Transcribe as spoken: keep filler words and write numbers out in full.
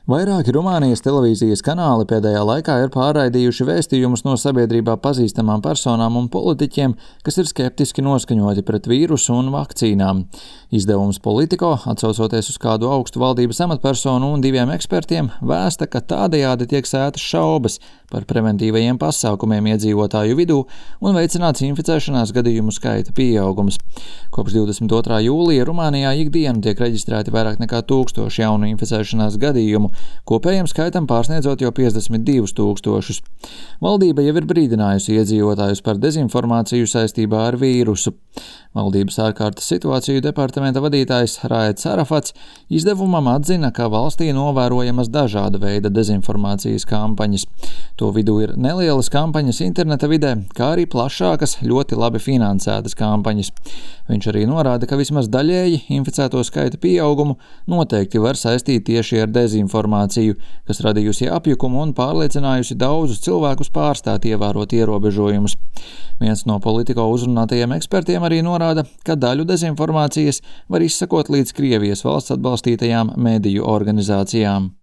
Vairāki Rumānijas televīzijas kanāli pēdējā laikā ir pārraidījuši vēstījumus no sabiedrībā pazīstamām personām un politiķiem, kas ir skeptiski noskaņoti pret vīrusu un vakcīnām. Izdevums Politico, atsaucoties uz kādu augstu valdības amatpersonu un diviem ekspertiem, vēsta, ka tādējādi tiek sētas šaubas par preventīvajiem pasākumiem iedzīvotāju vidū un veicināts inficēšanās gadījumu skaita pieaugums. Kopš divdesmit otrā jūlija Rumānijā ikdienu tiek reģistrēti vairāk nekā tūkstoši jaunu inficēšanās gadījumu, kopējiem skaitam pārsniedzot jau piecdesmit divus tūkstošus. Valdība jau ir brīdinājusi iedzīvotājus par dezinformāciju saistībā ar vīrusu. Valdības ārkārtas situāciju departamenta vadītājs Raeds Arafats izdevumam atzina, ka valstī novērojamas dažāda veida dezinformācijas kampaņas. To vidū ir nelielas kampaņas interneta vidē, kā arī plašākas, ļoti labi finansētas kampaņas. Viņš arī norāda, ka vismaz daļēji inficēto skaita pieaugumu noteikti var saistīt tieši ar dezinformāciju, kas radījusi apjukumu un pārliecinājusi daudzus cilvēkus pārstāt ievērot ierobežojumus. Viens no Politico uzrunātajiem ekspertiem arī norāda, ka daļu dezinformācijas var izsakot līdz Krievijas valsts atbalstītajām mediju organizācijām.